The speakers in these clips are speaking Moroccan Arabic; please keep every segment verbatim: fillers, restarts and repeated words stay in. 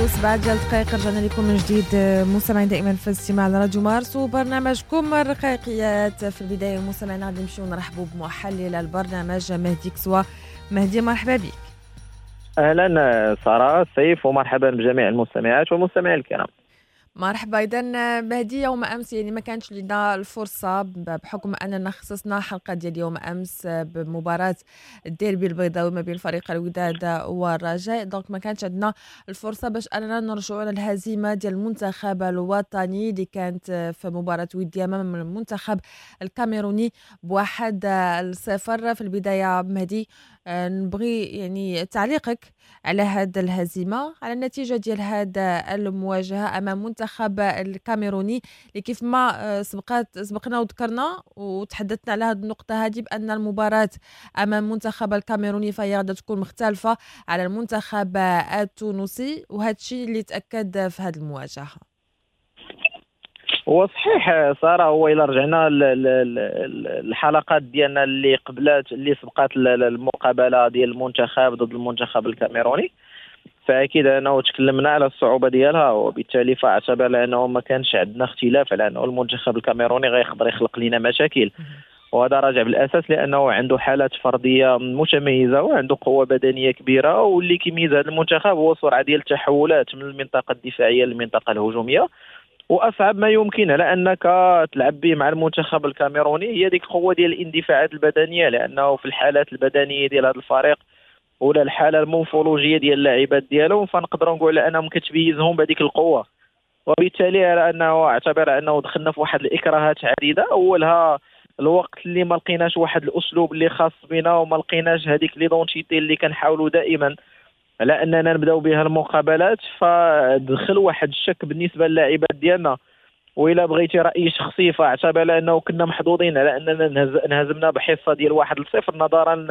وسبعة ديال الدقائق، رجعنا لكم من جديد مستمعين دائما في الاستماع لراديو مارس وبرنامجكم الرقايقيات. في البداية مستمعينا غادي نمشيو نرحبوا بمحلل البرنامج مهدي كسوة. مهدي مرحبا بك. اهلا ساره سيف ومرحبا بجميع المستمعات والمستمعين الكرام. مرحبا. اذا مهدي، يوم امس يعني ما كانش لنا الفرصة بحكم اننا خصصنا حلقة ديال يوم امس بمباراة الديربي البيضاوي ما بين فريق الوداد والرجاء، donc ما كانش عندنا الفرصة باش اننا نرجعوا للهزيمه ديال المنتخب الوطني اللي كانت في مباراة وديه امام المنتخب الكاميروني بواحد الصفر. في البداية مهدي نبغي يعني تعليقك على هذا الهزيمة، على النتيجة ديال هذا المواجهة امام المنتخب الكاميروني اللي كيف ما سبقات سبقنا وذكرنا وتحدثنا على هذه النقطة هذه بان المباراة امام المنتخب الكاميروني فهي غادي تكون مختلفة على المنتخب التونسي، وهذا الشيء اللي تاكد في هذه المواجهة. هو صحيح ساره، هو الى رجعنا الحلقات ديالنا اللي قبلات اللي سبقات المقابلة ديال المنتخب ضد المنتخب الكاميروني، فاكيد انه تكلمنا على الصعوبة ديالها، وبالتالي فاعتبر لانه ما كانش عندنا اختلاف على انه المنتخب الكاميروني غيقدر يخلق لنا مشاكل، وهذا راجع بالاساس لانه عنده حالات فردية متميزة وعنده قوة بدنية كبيرة، واللي كيميز هذا المنتخب هو سرعة ديال التحولات من المنطقة الدفاعية للمنطقة الهجومية. واصعب ما يمكن على انك تلعب به مع المنتخب الكاميروني هي ديك القوة ديال الاندفاعات البدنية، لانه في الحالات البدنية ديال هذا الفريق ولا الحالة المورفولوجيه ديال اللاعبات ديالهم فنقدروا نقول انهم كتميزهم بهذيك القوة، وبالتالي على انه اعتبر انه دخلنا في واحد الاكراهات عديدة، اولها الوقت اللي ما لقيناش واحد الاسلوب اللي خاص بنا وما لقيناش هذيك l'identité اللي كنحاولوا دائما على اننا نبداو بها المقابلات، فدخل واحد الشك بالنسبة للاعبات ديالنا. وإلا بغيتي راي شخصي فاعتبر انه كنا محظوظين على اننا انهزمنا بحصة ديال واحد لصفر نظرا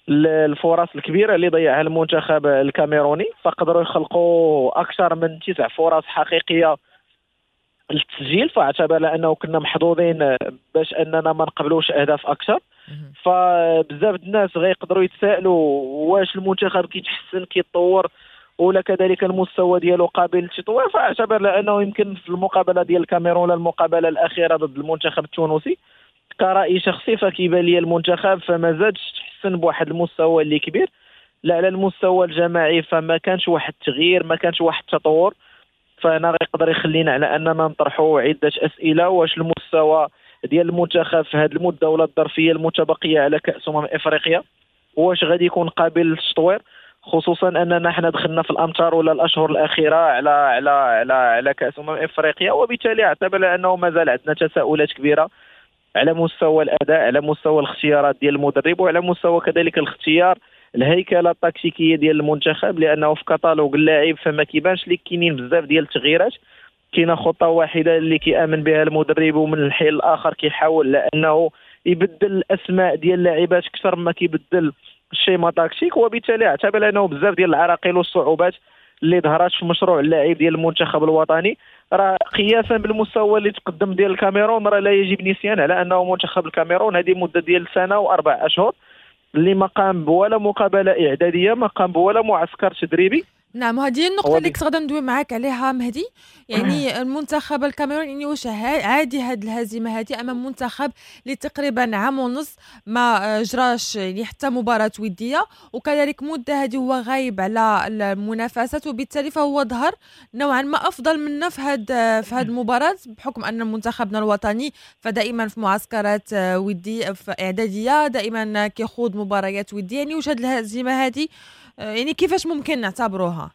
للفرص الكبيرة اللي ضيعها المنتخب الكاميروني، فقدروا يخلقوا اكثر من تسع فرص حقيقية للتسجيل، فاعتبر انه كنا محظوظين باش اننا ما نقبلوش اهداف اكثر. فبزاف الناس غيقدروا يتسائلوا واش المنتخب كيتحسن كيتطور ولا كذلك المستوى ديالو قابل للتطوير، فاعتبر لانه يمكن في المقابلة ديال الكاميرون ولا المقابلة الاخيرة ضد المنتخب التونسي كرأي شخصي فكيبان لي المنتخب فما زادش تحسن بواحد المستوى اللي كبير، لا على المستوى الجماعي فما كانش واحد التغيير، ما كانش واحد التطور، فانا غيقدر يخلينا على اننا نطرحوا عده اسئلة، واش المستوى ديال المنتخب في هذه المدة ولا الظرفية المتبقية على كاس امم افريقيا واش غادي يكون قابل للتطوير، خصوصا اننا حنا دخلنا في الامتار ولا الاشهر الاخيرة على على على على كاس امم افريقيا، وبالتالي اعتبر انه مازال عندنا تساؤلات كبيرة على مستوى الاداء، على مستوى الاختيارات ديال المدرب، وعلى مستوى كذلك الاختيار الهيكله التكتيكيه ديال المنتخب، لانه في كتالوج اللاعب فما كيبانش لك كاينين بزاف ديال التغييرات، كاينه خطه واحدة اللي كيامن بها المدرب، ومن الحين الاخر كيحاول لانه يبدل الاسماء ديال اللاعبات اكثر ما كيبدل ال schéma tactique، وبالتالي اعتبر انه بزاف ديال العراقيل والصعوبات اللي ظهرت في مشروع اللاعب ديال المنتخب الوطني راه قياسا بالمستوى اللي تقدم ديال الكاميرون راه لا يجب نسيان على انه منتخب الكاميرون هذه مده ديال سنة واربع اشهر اللي ما قام بولا مقابله اعدادية، ما قام بولا معسكر تدريبي. نعم، وهذه النقطة اللي كنت غادا ندوي معاك عليها مهدي، يعني المنتخب الكاميروني يعني واش عادي هذه الهزيمة هذه أمام منتخب اللي تقريبا عام ونص ما جراش يعني حتى مباراة ودية، وكذلك مدة هذه هو غايب على المنافسات، وبالتالي فهو ظهر نوعا ما أفضل منا في هذا في هذه المباراة، بحكم أن منتخبنا الوطني فدائما في معسكرات ودية في إعدادية دائما كيخوض مباريات ودية. يعني واش هذه الهزيمة هذه يعني كيفاش ممكن نعتبروها؟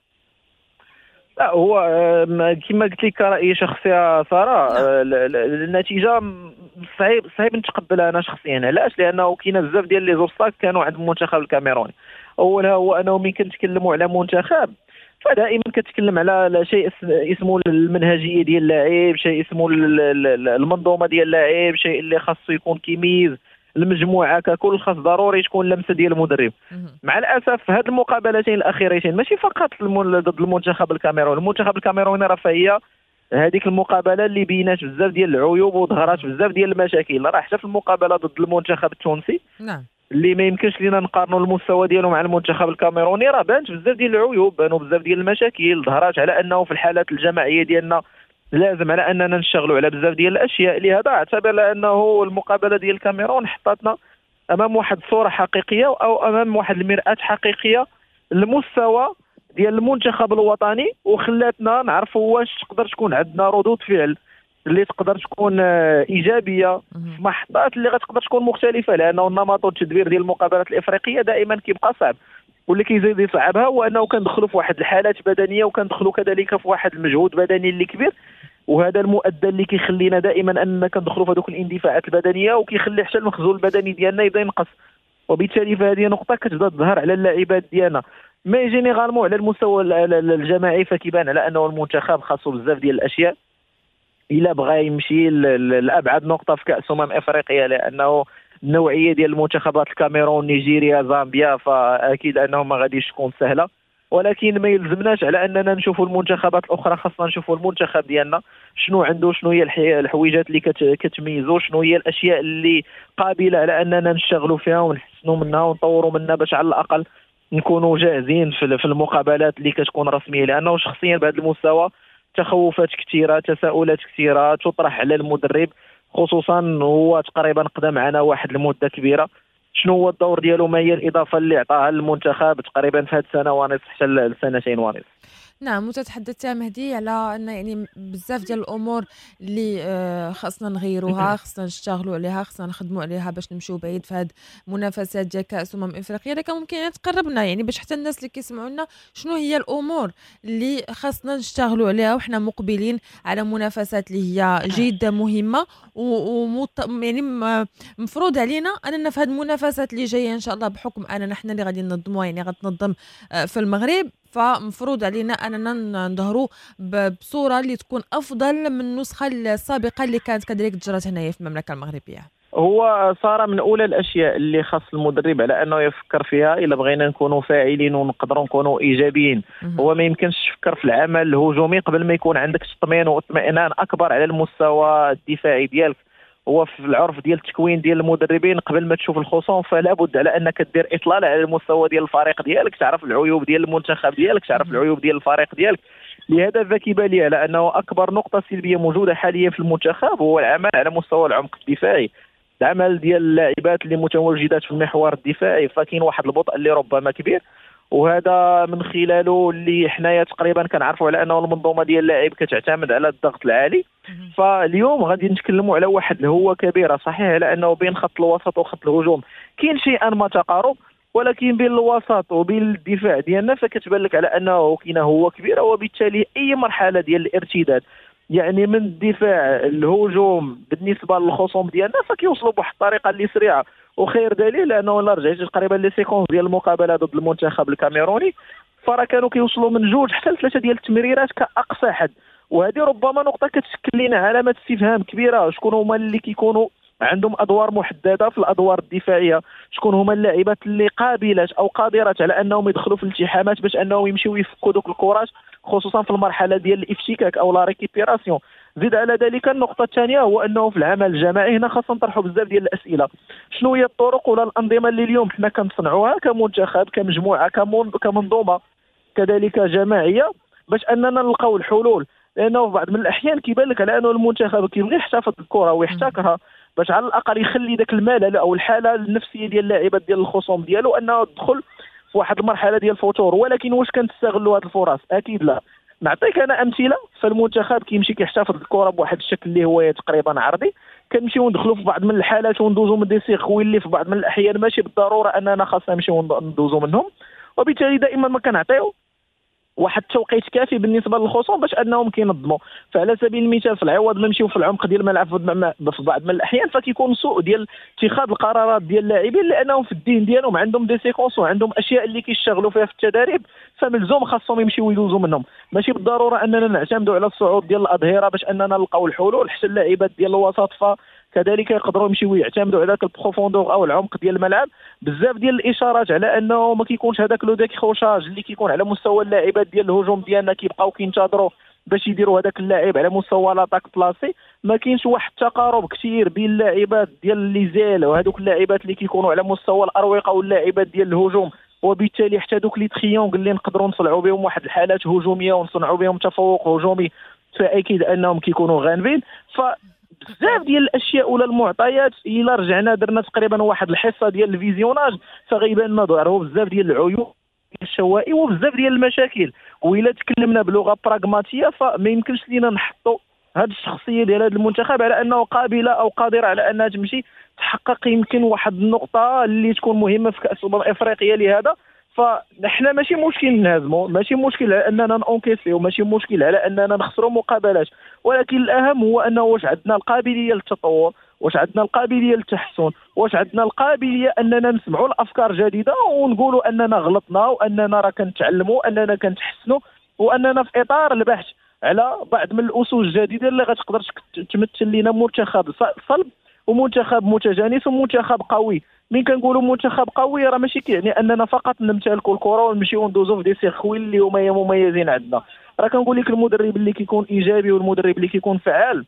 لا، هو كما قلت لك رأيي شخصي سارة، النتيجة صعيب صعيب نتقبلها أنا شخصيا. علاش؟ لأنه كاين بزاف ديال les obstacles كانوا عند المنتخب الكاميروني. أولها هو أنه ملي كنتكلموا على منتخب فدائما كتكلم على شيء اسمه المنهجية ديال اللاعب، شيء اسمه المنظومة ديال اللاعب، شيء اللي خاصو يكون كيميز المجموعة ككل، خاص ضروري تكون لمسه ديال المدرب. مع الاسف هاد المقابلتين الاخيرتين ماشي فقط ضد المنتخب الكاميروني، المنتخب الكاميروني راه فهي هذيك المقابلة اللي بينات بزاف ديال العيوب وظهرات بزاف ديال المشاكل، راه حتى في المقابلة ضد المنتخب التونسي نعم اللي ما يمكنش لينا نقارنوا المستوى ديالو مع المنتخب الكاميروني، راه بانت بزاف ديال العيوب، بانوا بزاف ديال المشاكل، ظهرات على انه في الحالات الجماعية ديالنا لازم على اننا نشتغلوا على بزاف ديال الاشياء. لهذا اعتبر انه المقابلة ديال الكاميرون حطتنا امام واحد الصورة حقيقية او امام واحد المرآة حقيقية للمستوى ديال المنتخب الوطني، وخلاتنا نعرفوا واش تقدر تكون عندنا ردود فعل اللي تقدر تكون ايجابية في محطات اللي غتقدر تكون مختلفة، لانه النمط والتدبير ديال المقابلات الافريقية دائما كيبقى صعب، واللي كيزيد يصعبها هو انه كندخلوا في واحد الحالات بدنية وكندخلوا كذلك في واحد المجهود بدني اللي كبير، وهذا المؤدى اللي كيخلينا دائما اننا كندخلوا في هذوك الاندفاعات البدنية وكيخلي حتى المخزون البدني ديالنا يبدا ينقص، وبالتالي فهذه نقطة كتبدا تظهر على اللاعبات ديالنا. mais généralement على المستوى الجماعي فكيبان على انه المنتخب خاصو بزاف ديال الاشياء الا بغى يمشي لابعد نقطة في كاس امم افريقيا، لانه النوعية ديال المنتخبات الكاميرون، نيجيريا، زامبيا، فاكيد انه ما غاديش تكون سهلة، ولكن ما يلزمناش على اننا نشوفوا المنتخبات الاخرى، خاصنا نشوفوا المنتخب ديالنا شنو عنده، شنو هي الحويجات اللي كتميزو، شنو هي الاشياء اللي قابله على اننا نشتغلوا فيها ونحسنوا منها ونطوروا منها باش على الاقل نكونوا جاهزين في المقابلات اللي كتكون رسمية. لانه شخصيا بهذا المستوى تخوفات كثيرة، تساؤلات كثيرة تطرح على المدرب، خصوصا هو تقريبا قدم معنا واحد المدة كبيرة، شنو هو الدور ديالو، ما هي الاضافة اللي عطاها للمنتخب تقريبا في هذه السنة ونصف حتى لسنتين ونصف. نعم، وتتحدثت مهدي على ان يعني بزاف ديال الامور اللي خاصنا نغيروها، خاصنا نشتغلوا عليها، خاصنا نخدموا عليها باش نمشيو بعيد في هاد المنافسات ديال كاس امم افريقيا. لكن ممكن تقربنا يعني باش حتى الناس اللي كيسمعونا شنو هي الامور اللي خاصنا نشتغلوا عليها وحنا مقبلين على منافسات اللي هي جد مهمة و يعني مفروض علينا اننا في هاد المنافسات اللي جاية ان شاء الله، بحكم اننا حنا اللي غادي ننظموها، يعني غتنظم في المغرب، فمفروض علينا اننا نظهروا بصورة اللي تكون افضل من النسخة السابقة اللي كانت كذلك تجرت هنايا في المملكة المغربية. هو صار من اولى الاشياء اللي خاص المدرب على انه يفكر فيها الا بغينا نكونوا فاعلين ونقدروا نكونوا ايجابيين. هو ما يمكنش تفكر في العمل الهجومي قبل ما يكون عندك تطمين واطمئنان اكبر على المستوى الدفاعي ديالك. هو في العرف ديال التكوين ديال المدربين قبل ما تشوف الخصوم فلا بد على انك دير اطلالة على المستوى ديال الفريق ديالك، تعرف العيوب ديال المنتخب ديالك، تعرف العيوب ديال الفريق ديالك. لهذا فكيبان لي على انه اكبر نقطة سلبية موجودة حاليا في المنتخب هو العمل على مستوى العمق الدفاعي، العمل ديال اللاعبات اللي متواجدات في المحور الدفاعي، فكاين واحد البطء اللي ربما كبير، وهذا من خلاله اللي حنايا تقريبا كنعرفوا على انه المنظومة ديال اللاعب كتعتمد على الضغط العالي. فاليوم غادي نتكلموا على واحد الهوه كبيرة، صحيح على انه بين خط الوسط وخط الهجوم كاين شيئا ما تقارب، ولكن بين الوسط وبين الدفاع ديالنا فكتبان لك على انه كاينه هوه كبيرة، وبالتالي اي مرحلة ديال الارتداد يعني من الدفاع الهجوم بالنسبة للخصوم ديالنا فكيوصلوا بواحد الطريقة اللي سريعة. وخير دليل لانه الا رجعت تقريبا les séquences ديال المقابلة ضد المنتخب الكاميروني فراه كانوا كيوصلوا من جوج حتى لثلاثة ديال التمريرات كاقصى حد، وهذه ربما نقطة كتشكل لنا علامة استفهام كبيرة. شكون هما اللي كيكونوا عندهم ادوار محددة في الادوار الدفاعية، شكون هما اللاعبات اللي قابلات او قادرات على انهم يدخلوا في الالتحامات باش انهم يمشيو يفكوا دوك الكرات، خصوصا في المرحلة ديال الافتكاك او la récupération. زيد على ذلك النقطة الثانية هو انه في العمل الجماعي هنا خاصنا نطرحوا بزاف ديال الاسئلة، شنو هي الطرق ولا الانظمة اللي اليوم حنا كنصنعوها كمنتخب، كمجموعة، كمنظومة كذلك جماعية باش اننا نلقاو الحلول. لانه في بعض من الاحيان كيبان لك على انه المنتخب كيبغي يحتفظ بالكرة ويحتكرها باش على الاقل يخلي ذاك الملل او الحالة النفسية ديال اللاعبات ديال الخصوم ديالو انه تدخل في واحد المرحلة ديال الفتور. ولكن واش كنستغلوا هذه الفرص؟ اكيد لا. نعطيك انا امثلة، فالمنتخب كيمشي كيحتفظ بالكرة بواحد الشكل اللي هو تقريبا عرضي، كنمشيو ندخلوا في بعض من الحالات وندوزو من des circuits اللي في بعض من الاحيان ماشي بالضرورة اننا خاصنا نمشيو ندوزو منهم، وبالتالي دائما ما كنعطيو واحد التوقيت كافي بالنسبة للخصوم باش انهم كينظموا. فعلى سبيل المثال في العوض ما نمشيو في العمق ديال الملعب في بعض من الاحيان فكيكون سوء ديال اتخاذ القرارات ديال اللاعبين، لانهم في الذهن ديالهم عندهم des séquences وعندهم اشياء اللي كيشتغلوا فيها في التدريب، فملزوم خاصهم يمشيو يدوزوا منهم. ماشي بالضرورة اننا نعتمدوا على الصعود ديال الاظهرة باش اننا نلقاو الحلول، حتى اللاعبات ديال الوسط فكذلك يقدروا يمشيو يعتمدوا على ذاك ال profondeur او العمق ديال الملعب. بزاف ديال الاشارات على انه ما كيكونش هذاك le décrochage اللي كيكون على مستوى اللاعبات ديال الهجوم ديالنا، كيبقاو كينتظروا باش يديروا هذاك اللاعب على مستوى l'attaque placée. ما كاينش واحد التقارب كثير بين اللاعبات ديال les ailes وهذوك اللاعبات اللي كيكونوا على مستوى الاروقه واللاعبات ديال الهجوم، وبالتالي حتى دوك les triangles اللي نقدروا نصنعوا بهم واحد الحالات هجومية ونصنعوا بهم تفوق هجومي، فاكيد انهم كيكونوا غانبين. ف بزاف ديال الاشياء ولا المعطيات الا رجعنا درنا تقريبا واحد الحصة ديال ال visionnage فغيبان لنا ظهروا بزاف ديال العيوب الشوائي وبزاف ديال المشاكل. والا تكلمنا بلغه براغماتيه فما يمكنش لينا نحطوا هذه الشخصية ديال هذا المنتخب على انه قابله او قادرة على انها تمشي تحقق يمكن واحد النقطة اللي تكون مهمة في كاس الامم الافريقية. لهذا فنحن ماشي مشكل نهزموا، ماشي مشكل على اننا ن encaisser، وماشي مشكل على اننا نخسروا مقابلات، ولكن الاهم هو انه واش عندنا القابلية للتطور، واش عندنا القابلية للتحسن، واش عندنا القابلية اننا نسمعوا الافكار جديدة ونقولوا اننا غلطنا واننا راه كنتعلموا، اننا كنتحسنوا، واننا في اطار البحث على بعض من الاسس الجديدة اللي غتقدر تمثل لنا منتخب صلب ومنتخب متجانس ومنتخب قوي. من كنقولوا منتخب قوي راه ماشي كيعني اننا فقط نمتلكوا الكره ونمشيو ندوزو في des circuits اللي هما مميزين عندنا. راه كنقول لك المدرب اللي كيكون ايجابي والمدرب اللي كيكون فعال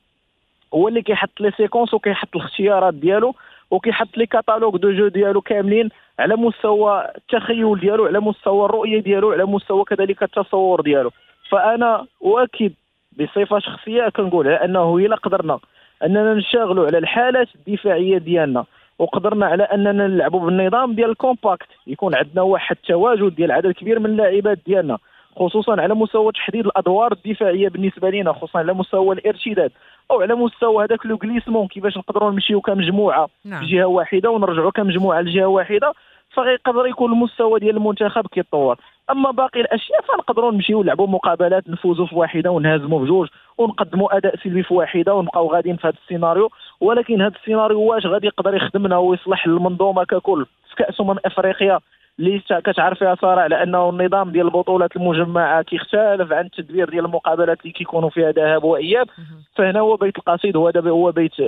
هو اللي كيحط les séquences وكيحط الاختيارات ديالو وكيحط les catalogues de jeu ديالو كاملين على مستوى التخيل ديالو، على مستوى الرؤية ديالو، على مستوى كذلك التصور ديالو. فانا اؤكد بصفة شخصية كنقول على انه الا قدرنا اننا نشتغلوا على الحالات الدفاعية ديالنا وقدرنا على اننا نلعبوا بالنظام ديال ال compact، يكون عندنا واحد التواجد ديال عدد كبير من اللاعبات ديالنا، خصوصا على مستوى تحديد الادوار الدفاعية بالنسبة لنا، خصوصا على مستوى الارتداد او على مستوى هذاك le glissement كيفاش نقدروا نمشيو كمجموعة نعم. بجهة واحدة ونرجعوا كمجموعة لجهة واحدة، فغيقدر يكون المستوى ديال المنتخب كيتطور. اما باقي الاشياء فنقدروا نمشيو نلعبوا مقابلات، نفوزوا في واحدة ونهزموا في جوج ونقدموا اداء سلبي في واحدة ونبقاو غاديين في هذا السيناريو. ولكن هذا السيناريو واش غادي يقدر يخدمنا ويصلح للمنظومة ككل في كاس امم افريقيا اللي كتعرف فيها ساره على انه النظام ديال البطولات المجمعة كيختلف عن التدبير ديال المقابلات اللي كيكونوا فيها ذهاب واياب. فهنا هو بيت القصيد، هو هو بيت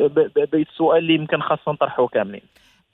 بيت السؤال اللي يمكن خاصنا نطرحه كاملين.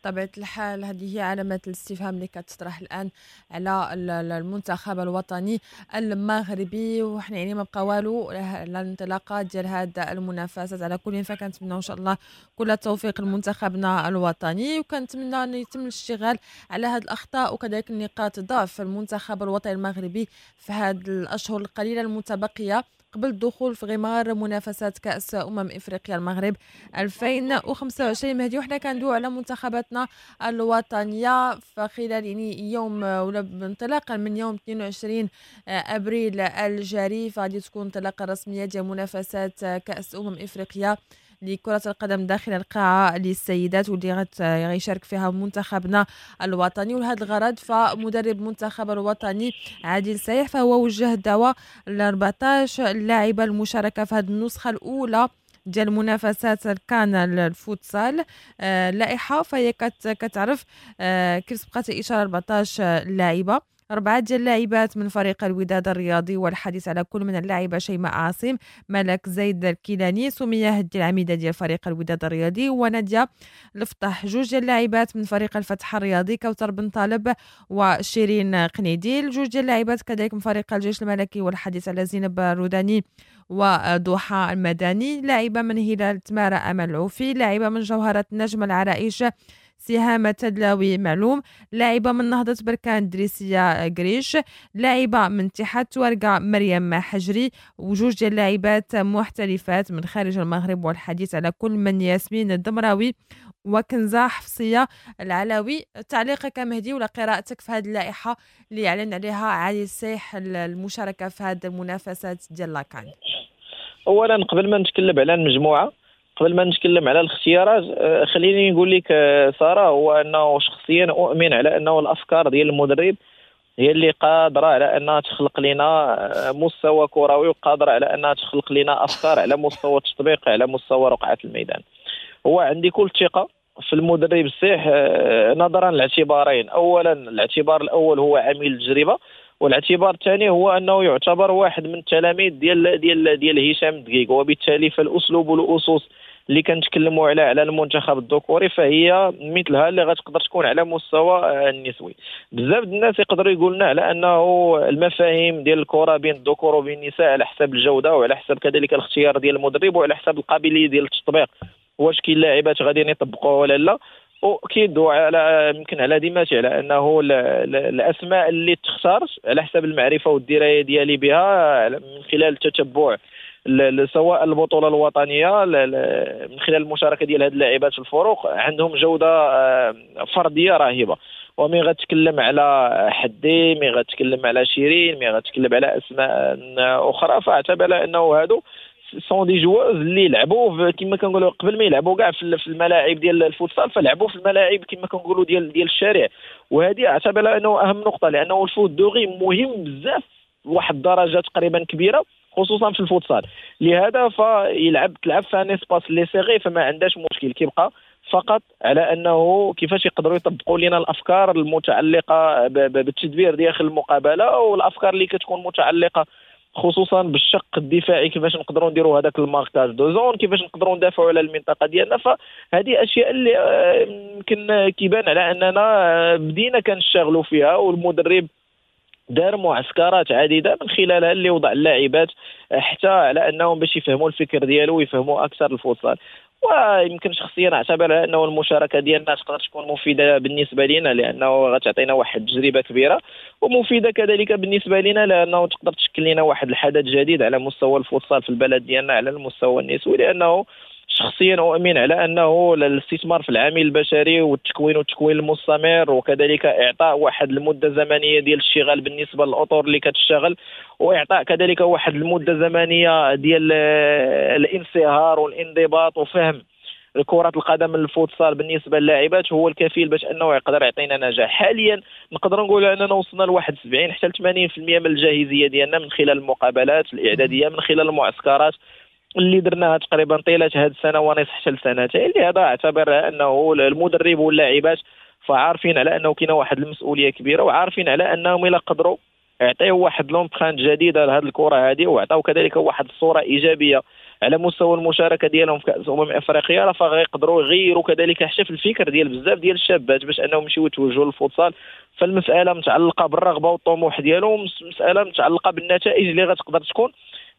بطبيعة الحال هذه هي علامات الاستفهام اللي كتطرح الآن على المنتخب الوطني المغربي، وحنا يعني ما بقى والو الانطلاقة ديال هذا المنافسات. على كل فكنتمنى ان شاء الله كل التوفيق لمنتخبنا الوطني، وكنتمنى ان يتم الاشتغال على هذه الاخطاء وكذلك نقاط ضعف المنتخب الوطني المغربي في هذه الاشهر القليلة المتبقية قبل الدخول في غمار منافسات كأس أمم إفريقيا المغرب ألفين وخمسة وعشرين. مهدي، وحنا كندويو على منتخباتنا الوطنية، فخلال يعني يوم ولا انطلاقا من يوم اثنين وعشرين أبريل الجاري فغادي تكون انطلاقة رسمية ديال منافسات كأس أمم إفريقيا لكرة القدم داخل القاعة للسيدات، واللي غيشارك فيها منتخبنا الوطني. ولهذا الغرض فمدرب منتخب الوطني عادل سايح فهو وجه الدعوة ل أربعطاش لاعبة المشاركة في هذه النسخة الأولى ديال منافسات الكان الفوتسال. اللائحة فهي كتعرف كيف سبقت إشارة أربعطاش لاعبة، أربعة ديال اللاعبات من فريق الوداد الرياضي، والحديث على كل من اللاعبة شيماء عاصم، ملك زيد الكيلاني، سمية هدي العميدة ديال فريق الوداد الرياضي، ونادية الفطح. جوج ديال اللاعبات من فريق الفتح الرياضي، كوثر بن طالب وشيرين قنيديل. جوج ديال اللاعبات كذلك من فريق الجيش الملكي، والحديث على زينب الروداني وضحى المدني. لاعبة من هلال تمارة أمل العوفي، لاعبة من جوهرة نجم العرائش سهامة تدلاوي معلوم، لاعبة من نهضة بركان دريسية قريش، لاعبة من اتحاد توارقة مريم حجري، وجوج ديال اللاعبات محترفات من خارج المغرب، والحديث على كل من ياسمين الدمراوي وكنزة حفصية العلاوي. تعليقك مهدي ولا قراءتك في هذه اللائحة اللي أعلن عليها عادل السيح المشاركة في هذه المنافسات ديال la CAN؟ أولا قبل ما نتكلم على المجموعة، قبل ما نتكلم على الاختيارات، خليني نقول لك سارة هو أنه شخصيا أؤمن على أنه الأفكار ديال المدرب هي اللي قادرة على أنها تخلق لنا مستوى كروي، وقادرة على أنها تخلق لنا أفكار على مستوى التطبيق، على مستوى رقعة الميدان. هو عندي كل ثقة في المدرب السيح نظرا لاعتبارين. أولا الاعتبار الأول هو عامل التجربة، والاعتبار الثاني هو انه يعتبر واحد من التلاميذ ديال ديال ديال هشام الدقيق، وبالتالي فالاسلوب والاسس اللي كنتكلموا على على المنتخب الذكوري فهي مثلها اللي غتقدر تكون على مستوى النسوي. بزاف الناس يقدروا يقولنا على انه المفاهيم ديال الكره بين الذكور وبين النساء على حسب الجودة وعلى حسب كذلك الاختيار ديال المدرب وعلى حسب القابلية ديال التطبيق، واش كاين لاعبات غاديين يطبقوها ولا لا. واكيد وعلى يمكن على ديماتي على انه الاسماء اللي تختارت على حسب المعرفة والدراية ديالي بها من خلال التتبع سواء البطولة الوطنية من خلال المشاركة ديال هاد اللاعبات في الفروق عندهم جوده فردية رهيبة. ومن غتكلم على حدي، من غتكلم على شيرين، من غتكلم على اسماء اخرى، فاعتبر انه هادو sont des joueuses اللي لعبوا كما كنقولوا قبل ما يلعبوا كاع في الملاعب ديال الفوتسال، فلعبوا في الملاعب كما كنقولوا ديال ديال الشارع. وهذه اعتبر انه اهم نقطة، لانه ال foot de rue مهم بزاف لواحد الدرجة تقريبا كبيرة خصوصا في الفوتسال. لهذا فيلعب تلعب في un espace اللي serré فما عندهاش مشكل، كيبقى فقط على انه كيفاش يقدروا يطبقوا لنا الافكار المتعلقة بالتدبير داخل المقابلة والافكار اللي كتكون متعلقه خصوصا بالشق الدفاعي، كيفاش نقدروا نديروا هذاك ال marquage de zone، كيفاش نقدروا ندافعوا على المنطقة ديالنا. فهذه اشياء اللي يمكن كيبان على اننا بدينا كنشتغلوا فيها، والمدرب دار معسكرات عديدة من خلالها اللي وضع اللاعبات حتى على انهم باش يفهموا الفكر ديالو ويفهموا اكثر الفوتسال. ويمكن شخصيا اعتبر انه المشاركة ديالنا تقدر تكون مفيدة بالنسبة لنا، لانه غتعطينا واحد التجربة كبيرة، ومفيدة كذلك بالنسبة لنا لانه تقدر تشكل لنا واحد الحدث جديد على مستوى الفوتسال في البلد ديالنا على المستوى النسوي. لانه شخصيا اؤمن على انه الاستثمار في العامل البشري والتكوين والتكوين المستمر، وكذلك اعطاء واحد المدة زمنية ديال الاشتغال بالنسبة للاطر اللي كتشتغل، واعطاء كذلك واحد المدة زمنية ديال الانصهار والانضباط وفهم كرة القدم الفوتسال بالنسبة للاعبات هو الكفيل باش انه يقدر يعطينا نجاح. حاليا نقدر نقول اننا وصلنا لواحد سبعين حتى ثمانين بالمئة من الجاهزيه ديالنا من خلال المقابلات الاعدادية، من خلال المعسكرات اللي درناها تقريبا طيلة هذه السنة ونصف حتى لسنتين. لهذا اعتبر انه المدرب واللاعبات فعارفين على انه كاينه واحد المسؤولية كبيرة، وعارفين على انهم الا قدروا يعطيو واحد l'empreinte جديدة لهذه الكره هذه، وعطاو كذلك واحد الصورة ايجابية على مستوى المشاركة ديالهم في كاس امم افريقيا، راه فغيقدروا يغيروا كذلك حتى في الفكر ديال بزاف ديال الشابات باش انهم يمشيو يتوجهوا للفوتسال. فالمسالة متعلقه بالرغبه والطموح ديالهم، مسالة متعلقه بالنتائج اللي غتقدر تكون.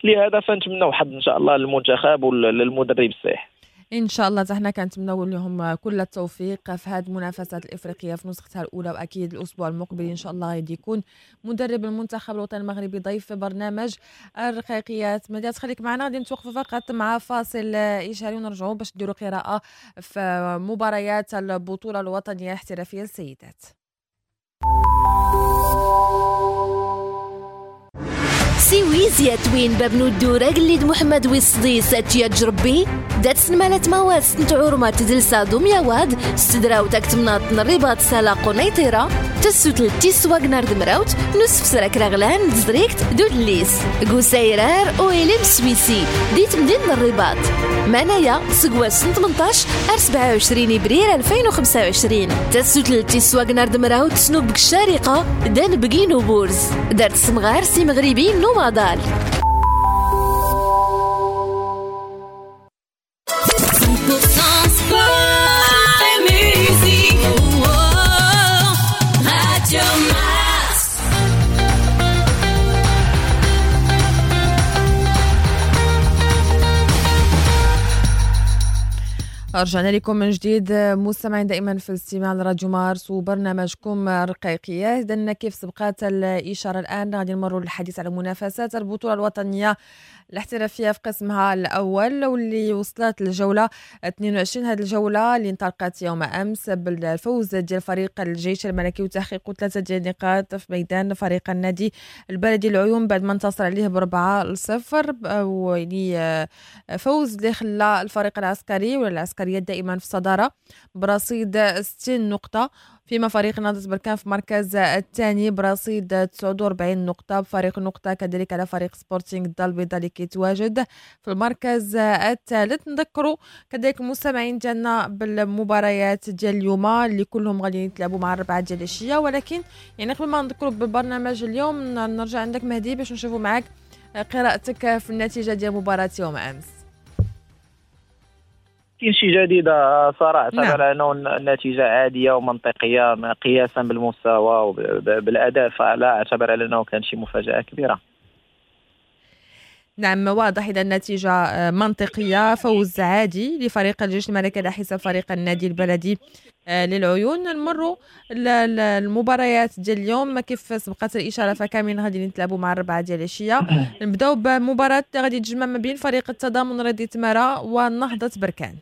لهذا فنتمناو حظ ان شاء الله للمنتخب وللمدرب الصحيح ان شاء الله. حنا كنتمناو لهم كل التوفيق في هذه المنافسات الافريقية في نسختها الاولى، واكيد الاسبوع المقبل ان شاء الله غادي يكون مدرب المنتخب الوطني المغربي ضيف في برنامج الرقيقيات. مديات خليك معنا، غادي نتوقفوا فقط مع فاصل اشهاري ونرجعوا باش نديروا قراءة في مباريات البطولة الوطنية الاحترافية للسيدات. سيويزيا توين بابنو الدورة قليد محمد ويصدي ساتيا جربي دات سنمالة مواس نتعور تدلسا دوميا واد استدراو تاكتمناط الرباط سالا قنيطرة تسوتل تيس واغنار دمراوت نصف سراك رغلان دزريكت دودليس قوسايرار وإليم سويسي ديت مدينة الرباط مانايا سقواس ثمنطاش أر سبعة وعشرين إبريل ألفين وخمسة وعشرين تسوتل تيس واغنار دمراوت سنوب الشارقة دان بقينو بورز دارت سمغار سي مغربي نومادال. رجعنا لكم من جديد مستمعين دائما في الاستماع لراديو مارس وبرنامجكم الرقيقية. إذن كيف سبقات الإشارة الآن غادي نمروا للحديث على منافسات البطولة الوطنية الاحترافية في قسمها الأول واللي وصلت للجولة اثنين وعشرين. هذه الجولة اللي انطلقت يوم أمس بالفوز ديال فريق الجيش الملكي وتحقيق ثلاثة ديال النقاط في ميدان فريق النادي البلدي العيون بعد ما انتصر عليه بأربعة لصفر، ويعني فوز اللي خلى الفريق العسكري ولا العسكرية دائما في الصدارة برصيد ستين نقطة، فيما فريق نهضة بركان في المركز الثاني برصيد تسعة وأربعين نقطة بفريق نقطة كذلك على فريق سبورتينغ الدار البيضاء اللي كيتواجد في المركز الثالث. نذكروا كذلك المستمعين ديالنا بالمباريات ديال اليوم اللي كلهم غادي يتلعبوا مع الربعة ديال العشية، ولكن يعني قبل ما نذكروا بالبرنامج اليوم نرجع عندك مهدي باش نشوفوا معك قراءتك في النتيجة ديال مباراة يوم أمس. كاين شي جديد صراحة. نعم. انه النتيجة عادية ومنطقيه قياسا بالمستوى وبالاداء، فلا اعتبر على انه كان شي مفاجاة كبيرة. نعم واضح، إذا النتيجة منطقية، فوز عادي لفريق الجيش الملكي على حساب فريق النادي البلدي للعيون. نمروا المباريات ديال اليوم كيف سبقت الإشارة، فكاملين غادي نتلعبوا مع الربعة ديال العشية. نبداو بمباراة غادي تجمع ما بين فريق التضامن رياضي تمارة ونهضة بركان.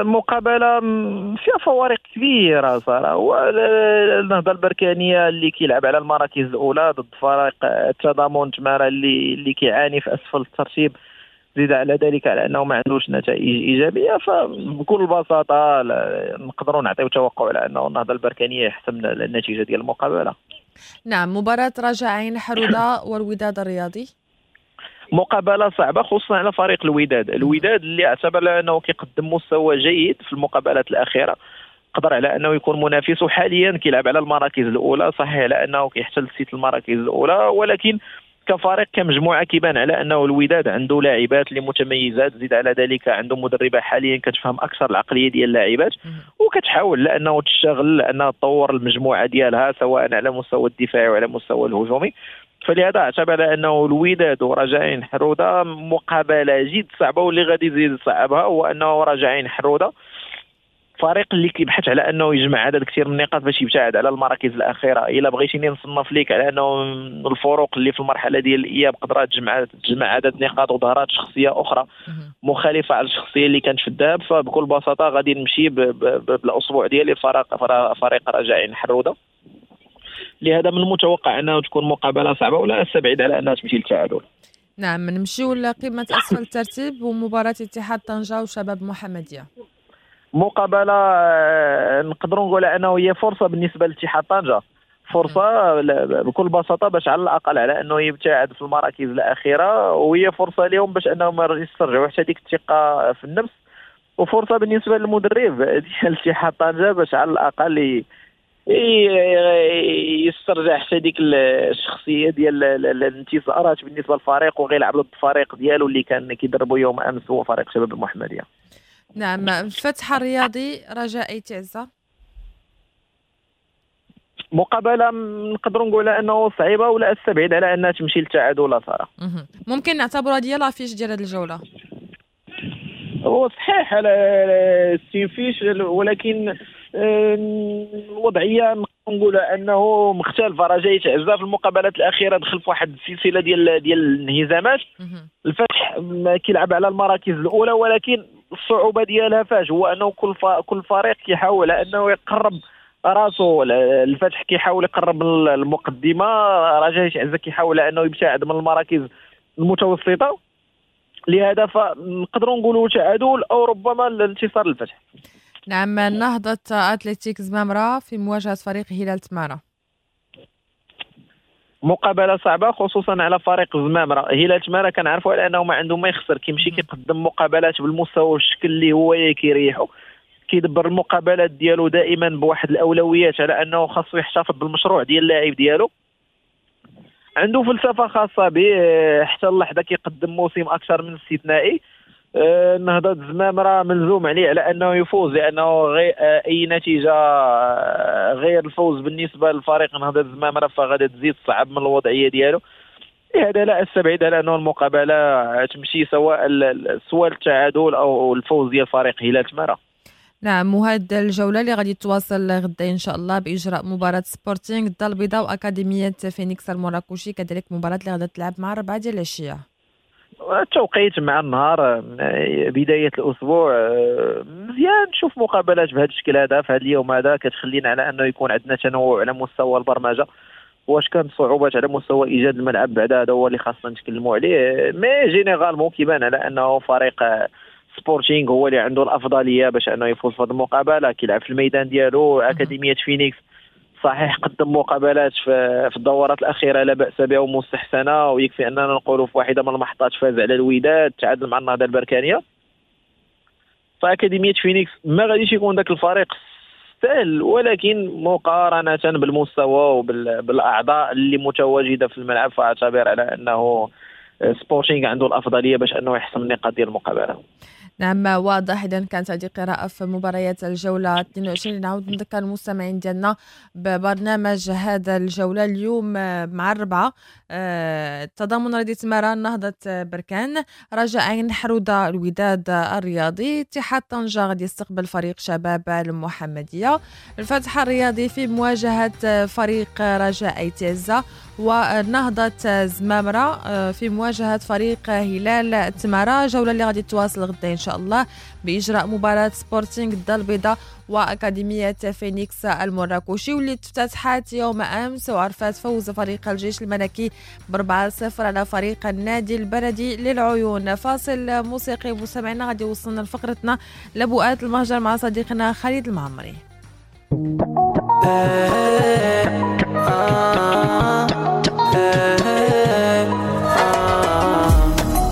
مقابلة فيها فوارق كبيرة صراحة. النهضة البركانية اللي كيلعب على المراكز الأولى ضد فريق التضامن تمارة اللي اللي كيعاني في أسفل الترتيب، زيد على ذلك على أنه ما عندوش نتائج إيجابية. فبكل بساطة نقدروا نعطيو توقع على أنه النهضة البركانية يحسم النتيجة ديال المقابلة. نعم، مباراة رجاء عين حرودة والوداد الرياضي، مقابله صعبة خصوصا على فريق الوداد. الوداد اللي اعتبر انه كيقدم مستوى جيد في المقابلات الاخيرة، قدر على انه يكون منافس، وحاليا كيلعب على المراكز الاولى. صحيح على انه كيحتل ست المراكز الاولى، ولكن كفريق كمجموعة كيبان على انه الوداد عنده لاعبات اللي متميزات، زيد على ذلك عنده مدربه حاليا كتفهم اكثر العقلية ديال اللاعبات وكتحاول لانه تشتغل لانها تطور المجموعة ديالها سواء على مستوى الدفاعي وعلى مستوى الهجومي. فلهذا اعتبر انه الوداد ورجاء حروده مقابله جد صعبة، واللي غادي يزيد صعبها هو انه رجاء حروده فريق اللي كيبحث على انه يجمع عدد كثير من النقاط باش يبتعد على المراكز الاخيرة. الا بغيتيني نصنف ليك على انه الفروق اللي في المرحلة ديال الاياب قدرات تجمع تجمع عدد نقاط وظهرات شخصية اخرى مخالفة على الشخصية اللي كانت في الذهاب، فبكل بساطة غادي نمشي بالاسبوع ديالي فريق فريق رجاء حروده. لهذا من المتوقع انه تكون مقابله صعبة ولا استبعد على انها تمشي للتعادل. نعم، نمشيو لقمة اسفل الترتيب ومباراة اتحاد طنجه وشباب محمديه. مقابله نقدروا نقول انه هي فرصة بالنسبة لاتحاد طنجه، فرصة بكل بساطة باش على الاقل على انه يبتعد في المراكز الاخيرة، وهي فرصة لهم باش انهم يسترجعوا حتى ديك الثقة في النفس، وفرصه بالنسبة للمدرب ديال اتحاد طنجه باش على الاقل يسترجع حتى ديك الشخصية ديال الانتصارات بالنسبة للفريق، وغيلعب ضد الفريق ديالو اللي كان كيدربو يوم امس هو فريق شباب المحمدية. نعم، فتح الرياضي رجاء أيت عزة، مقابله نقدروا نقول انه صعيبة ولا استبعد على انها تمشي للتعادل لا صراحة. ممكن نعتبر هذه هي l'affiche ديال هذه الجولة. هو صحيح على السيفيش، ولكن الوضعية نقول انه مختلفة. رجاء عزة في المقابلات الاخيرة دخل في واحد السلسلة ديال ديال الانهزامات. الفتح كيلعب على المراكز الاولى، ولكن الصعوبة ديالها فاش هو انه كل كل فريق كيحاول انه يقرب راسو. الفتح كيحاول يقرب من المقدمة، رجاء عزة كيحاول انه يبتعد من المراكز المتوسطة. لهذا فنقدروا نقولوا تعادل او ربما الانتصار للفتح. نعم، نهضة أتلتيك زمامرة في مواجهة فريق هلال تمارة، مقابلة صعبة خصوصا على فريق زمامرة. هلال تمارة كنعرفوا على أنه ما عنده ما يخسر، كيمشي كيقدم مقابلات بالمستوى والشكل اللي هو كيريحو، كيدبر المقابلات ديالو دائما بواحد الأولويات على أنه خاصو يحتفظ بالمشروع ديال اللاعب ديالو. عنده فلسفة خاصة به، حتى اللحظة كيقدم موسم أكثر من استثنائي. نهضة زمامرة ملزوم عليه على أنه يفوز، لأنه غير أي نتيجة غير الفوز بالنسبة للفريق نهضة زمامرة فغادي تزيد صعب من الوضعية ديالو. لهذا لا أستبعد على أنه المقابلة تمشي سواء سواء التعادل أو الفوز ديال فريق هلال تمارة. نعم، وهذه الجولة اللي غادي تواصل غدا إن شاء الله بإجراء مباراة سبورتينغ الدار البيضاء وأكاديمية فينيكس المراكشي، كذلك مباراة اللي غادي تلعب مع أربعة ديال العشية. التوقيت مع النهار بداية الأسبوع مزيان نشوف مقابلات بهذا الشكل هذا في هذا اليوم هذا، كتخلينا على أنه يكون عندنا تنوع على مستوى البرمجة. واش كان صعوبات على مستوى إيجاد الملعب بعد هذا هو اللي خاصنا نتكلموا عليه، mais généralement كيبان على أنه فريق سبورتينغ هو اللي عنده الأفضلية باش أنه يفوز في هذه المقابلة، كيلعب في الميدان ديالو. أكاديمية فينيكس صحيح قدم مقابلات في الدورات الأخيرة لا بأس بها ومستحسنة، ويكفي أننا نقولوا في واحدة من المحطات فاز على الوداد، تعادل مع النهضة البركانية. فأكاديمية فينيكس ما غاديش يكون ذاك الفريق سهل، ولكن مقارنة بالمستوى وبالأعضاء اللي متواجدة في الملعب فأعتبر على أنه سبورتينغ عنده الأفضلية باش أنه يحسم النقاط ديال المقابلة. نعم واضح. إذا كانت هذه قراءة في مباريات الجولة اثنين وعشرين. نعاود نذكر المستمعين ديالنا ببرنامج هذا الجولة اليوم مع الربعة، التضامن رياضي تمارا، نهضة بركان، رجاء عين حرودة، الوداد الرياضي، اتحاد طنجة غادي يستقبل فريق شباب المحمدية، الفتح الرياضي في مواجهة فريق رجاء ايتازا، ونهضة زمامرة في مواجهة فريق هلال تمارا. جولة اللي غادي تواصل غدا إن شاء الله بإجراء مباراة سبورتينغ الدار البيضاء وأكاديمية فينيكس المراكشي، واللي افتتحت يوم أمس وعرفت فوز فريق الجيش الملكي بأربعة صفر على فريق النادي البلدي للعيون. فاصل موسيقي مستمعينا غادي يوصلنا لفقرتنا لبؤات المهجر مع صديقنا خالد المعمري.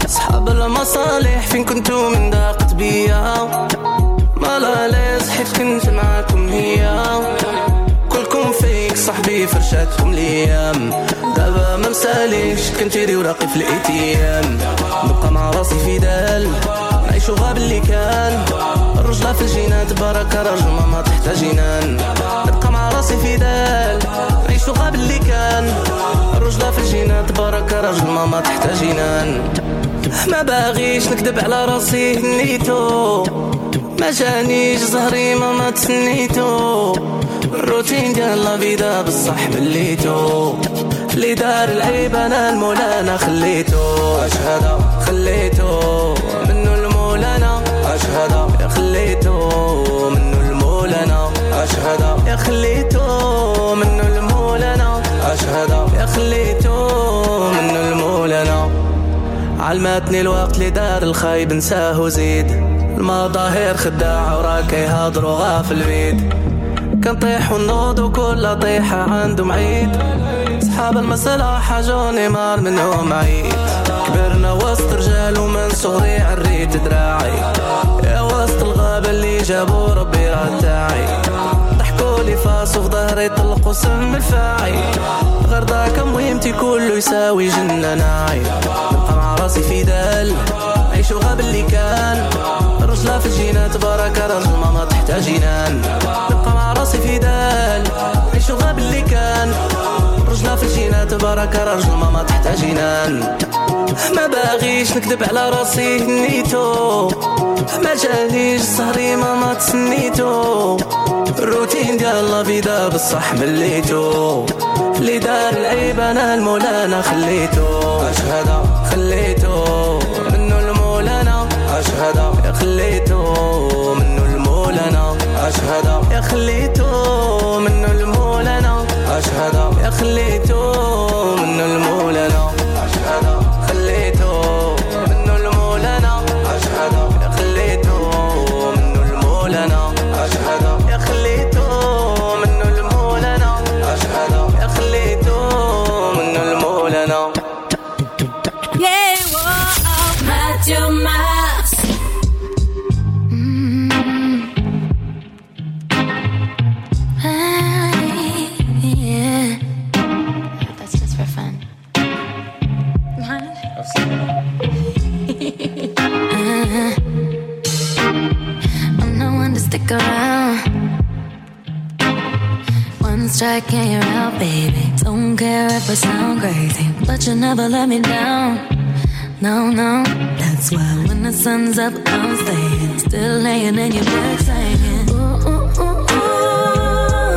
أصحاب المصالح فين كنتو من ضاقت بيا، ما لا ليز حيت كنت معاكم هي، كلكم فيك صاحبي فرشاتكم ليام، دابا ما مساليش كنتيري وراقي في الايتيام، نبقى مع راسي في دال نعيشو غاب اللي كان، الرجلة في الجنان تبارك رجل ماما تحت جنان، نبقى مع راسي في دال نعيشو غاب اللي كان، الرجلة في الجنان تبارك رجل ماما تحت جنان، ما باغيش نكذب على راسي هنيتو، ما جانيش زهري ماما تسنيتو، الروتين ديال la vida بصح مليتو، اللي دار العيب انا المولانا خليتو، اش هذا خليتو منو المولانا، اش هذا يا خليتو منو المولانا، اش هذا يا خليتو منو المولانا، اش هذا يا خليتو منو المولانا. علمتني الوقت اللي دار الخايب نساه وزيد، المظاهر خداعة وراك يهضروا غافل بيد، كنطيح ونوض وكل طيحة عندهم عيد، صحاب المصلحة جوني مار منهم عيد، كبرنا وسط رجال ومن صغري عريت دراعي، يا وسط الغابة اللي جابوا ربي راه تاعي، ضحكوا لي فاس وفي ظهري طلقوا سم الفاعي، غرضاك مهمتي كله يساوي جنة ناعي، نبقى مع راسي في دال عيشو غاب اللي كان، الرجلة في الجنان تبارك رجل ماما تحت جنان، نبقى مع راسي في دال عيشو غاب اللي كان، الرجلة في الجنان تبارك رجل ماما تحت جنان، ما باغيش نكذب على راسي هنيتو، ما جانيش سهري ماما تسنيتو، الروتين ديال la vida بصح مليتو، اللي دار العيب انا المولانا خليتو، اش هذا خليتو منو المولانا، اش هذا يا خليتو منو المولانا، اش هذا يا خليتو منو المولانا، اش هذا يا خليتو منو المولانا، اش هذا خليتو منو المولانا، اش هذا يا خليتو منو المولانا، اش هذا يا خليتو منو المولانا، اش هذا يا خليتو منو المولانا. Radio Mars. Mm. Hey, yeah. That's just for fun. uh, I'm no one to stick around. One strike and you're out, baby. Don't care if I sound crazy, but you never let me down. No, no, that's why when the sun's up, I'm staying. Still laying in your bed saying, ooh, ooh, ooh, ooh.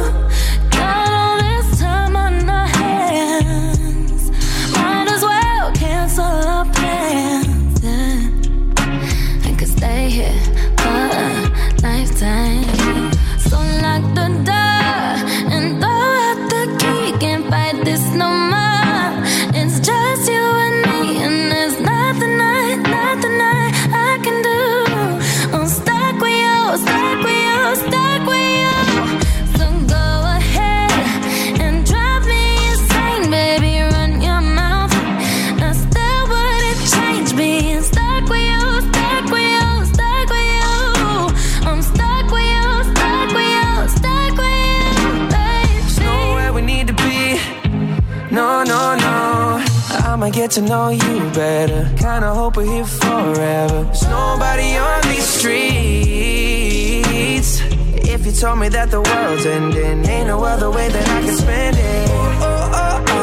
Got all this time on our hands, might as well cancel our plans. Yeah. I could stay here for a lifetime. So lock the door and throw out the key. Can't fight this no more. It's just you and me, and there's nothing I, nothing I, I can do. I'm stuck with you, stuck with you, stuck with you. So go ahead and drive me insane, baby. Run your mouth. I still wouldn't change being stuck with you, stuck with you, stuck with you. I'm stuck with you, stuck with you, stuck with you, baby. There's nowhere we need to be. No, no, no. I'm time I get to know you better. Kinda hope we're here forever. There's nobody on these streets. If you told me that the world's ending, ain't no other way that I can spend it. Oh, oh, oh.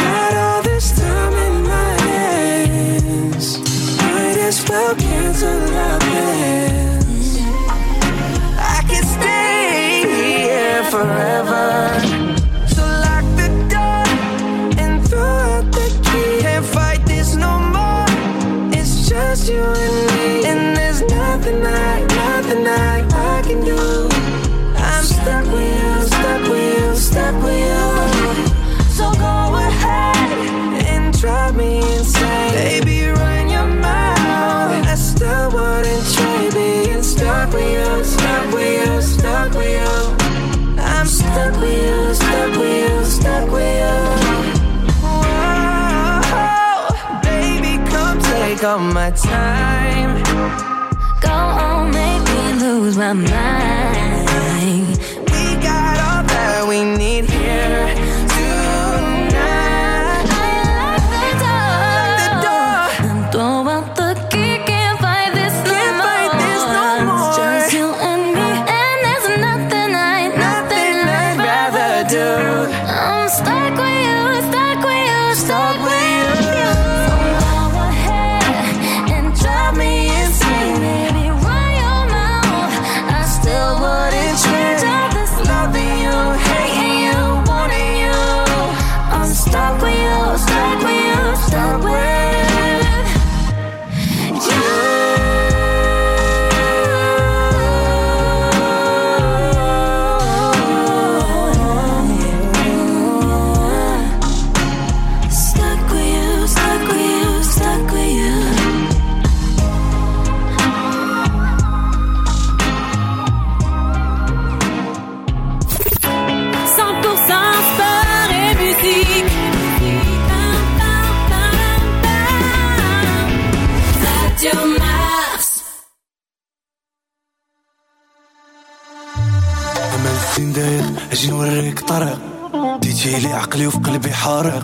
Got all this time in my hands. Might as well cancel our plans. I could stay here forever. So lock the door and throw out the key. Can't fight this no more. It's just you and me. And there's nothing I, nothing I, I can do. I'm stuck with you, stuck with you, stuck with you. So go ahead and drive me insane. Baby, run your mouth. I still wouldn't trade being stuck with you, stuck with you, stuck with you. I'm stuck with you, stuck with you, stuck with you. Whoa, baby, come take all my time. Go on, make me lose my mind. We got all that we need here tonight. I lock the door, lock the door, and throw out the key. Can't fight this no Can't more. fight this no more. It's just you and me, and there's nothing I, nothing, Nothing I'd rather do. I'm stuck with you, stuck with you, Stuck with you. So go ahead and drive me insane. Baby, run your mouth. I still wouldn't change all this Loving you, hating you, wanting you. I'm stuck with you, stuck with you, stuck with you. Stuck with you, stuck with you, stuck with you. cent pour cent sport et musique. Radio Mars. أمل الزين داير اجي نوريك طريق، ديتي لي عقلي وفي قلبي حارق،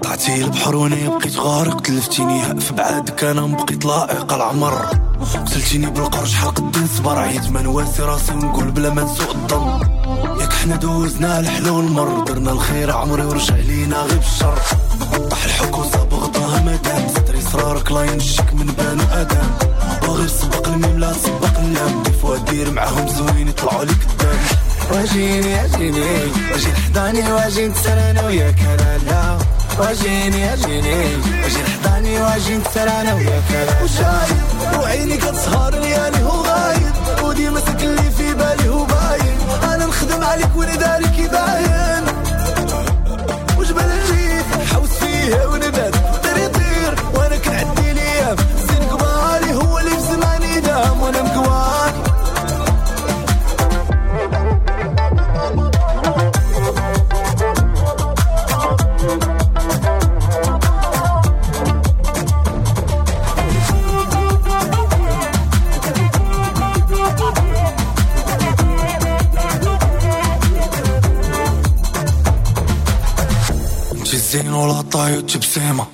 طلعتي البحر وانا بقيت غارق، تلفتيني في بعادك انا مبقيت لائق العمر، قتلتيني بالقرش شحال قد نصبر، عييت ما نواسي راسي ونقول بلا ما نسوق الظن، ياك حنا دوزنا الحلو والمر، درنا الخير عمري ورجع لينا غير بالشر، طاح الحك وصاب غطاها مدام، ستري صرارك لا ينشك من بانو ادم، وغير سبق الميم لا سبق اللام، ديفوا دير معاهم زوين يطلعوا لك الدم. واجيني اجيني واجي لحضاني واجي نتسرى انا وياك لا لا، واجيني اجيني واجي لحضاني واجي نتسرى انا وياك لا. وشايب وعيني كتسهر ليالي هو غايب، وديما ساكن اللي في بالي هو باين، انا نخدم عليك ونداري كيباين، وجبل الريف حوس فيه ونبات طير يطير وانا كنعدي ليام، زين كباري هو اللي في زماني دام وانا مكواني. الزين ولا طايو تبسيمة،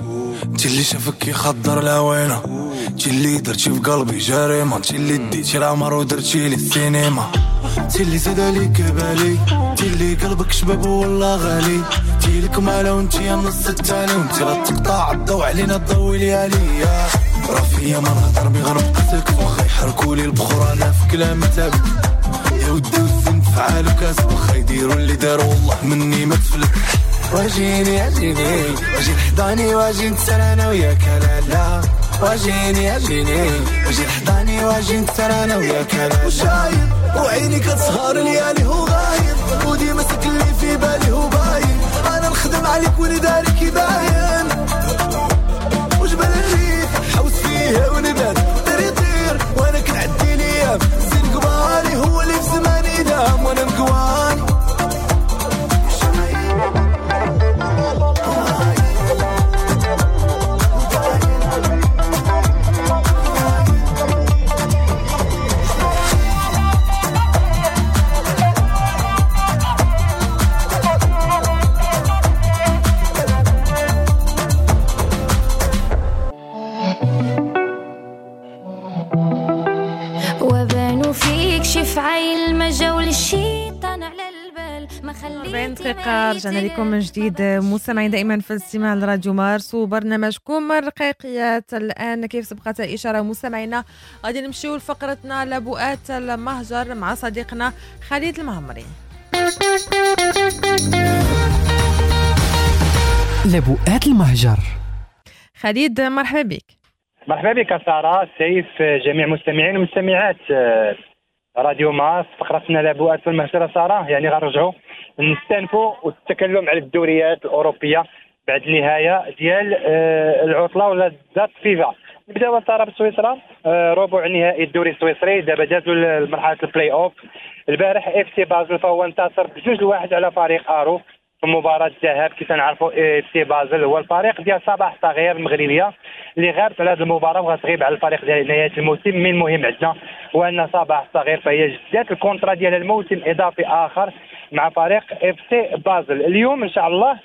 انت اللي شافك يخضر العوينة، انت اللي درتي في قلبي جريمة، انت اللي ديتي العمر ودرتي لي السينما، انت اللي زاد عليك بالي، انت اللي قلبك شباب والله غالي، انت لك مالة وانت يا النص التاني، وانت لا تقطع الضوء علينا الضوء ليالي، راه فيا ما نهضر بي غنبقى ساكت، واخا يحركولي البخور انا في كلام ثابت، يا ودي والزين فعالو كاسب، واخا يديروا اللي داروا والله مني ما تفلت. واجيني اجيني واجي لحضاني واجي نتسرى انا وياك لا لا، واجيني اجيني واجي لحضاني واجي نتسرى انا وياك لا. وشايب وعيني كتسهر ليالي هو غايب، وديما ساكن اللي في بالي هو باين، انا نخدم عليك ونداري كيباين، وجبل الريف حوس فيه ونبات طير يطير وانا كنعدي ليام، زين كباري هو اللي في زماني دام وانا مكواني. We'll be right back. دقيقة. رجعنا لكم من جديد مستمعين دائما في الاستماع لراديو مارس وبرنامجكم الرقيقيات. الآن كيف سبقت الإشارة مستمعينا غادي نمشيو لفقرتنا لبؤات المهجر مع صديقنا خالد المعمري. لبؤات المهجر. خالد مرحبا بك. مرحبا بك سارة، سيف، جميع المستمعين والمستمعات راديو مارس. فقرتنا لبؤات المهجر سارة، يعني غنرجعوا نستأنفوا والتكلم على الدوريات الأوروبية بعد النهاية ديال العطلة ولا date FIFA. نبداو سارة بسويسرا، ربع نهائي الدوري السويسري دابا دازوا لمرحلة البلاي اوف. البارح اف سي بازل فهو انتصر بجوج لواحد على فريق ارو في مباراة الذهاب. كيف نعرفوا اف سي بازل هو الفريق ديال صباح صغير المغربية اللي غابت على هذه المباراة وغتغيب على الفريق ديال نهاية الموسم. من المهم عندنا هو ان صباح صغير فهي جدات ال contrat ديال الموسم اضافي اخر مع فريق اف سي بازل. اليوم ان شاء الله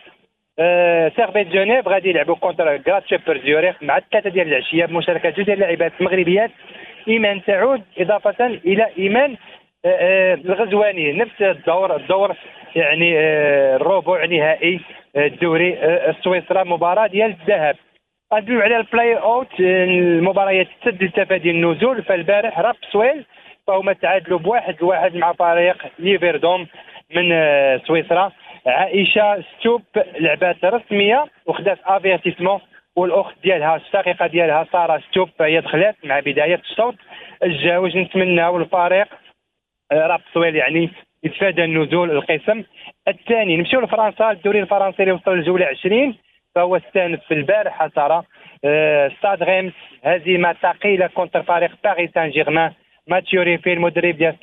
آه سيرفيت جنيف غادي يلعبوا contre غراسهوبر زيوريخ مع الثلاثة ديال العشية بمشاركة جوج ديال اللاعبات المغربيات ايمان سعود اضافه الى ايمان آه آه الغزواني. نفس الدور الدور يعني آه الربع نهائي الدوري آه السويسرا مباراة ديال الذهب. غندويو على البلاي اوت، المباريات تسد لتفادي النزول. فالبارح رابسويل فهما تعادلوا بواحد لواحد مع فريق ليفردوم من آه سويسرا. عائشة ستوب لعبات رسمية وخدات افيرتيسمون، والاخت ديالها الشقيقة ديالها ساره ستوب فهي دخلت مع بداية الشوط الجاوج. نتمناو الفريق رابسويل يعني يتفادى النزول القسم الثاني. نمشيو لفرنسا، الدوري الفرنسي اللي وصل للجوله عشرين فهو استانف في البارحة ساره ستاد ريمس هزيمة ثقيلة contre فريق باريس سان جيرمان. ماتيو ريفي المدرب ديال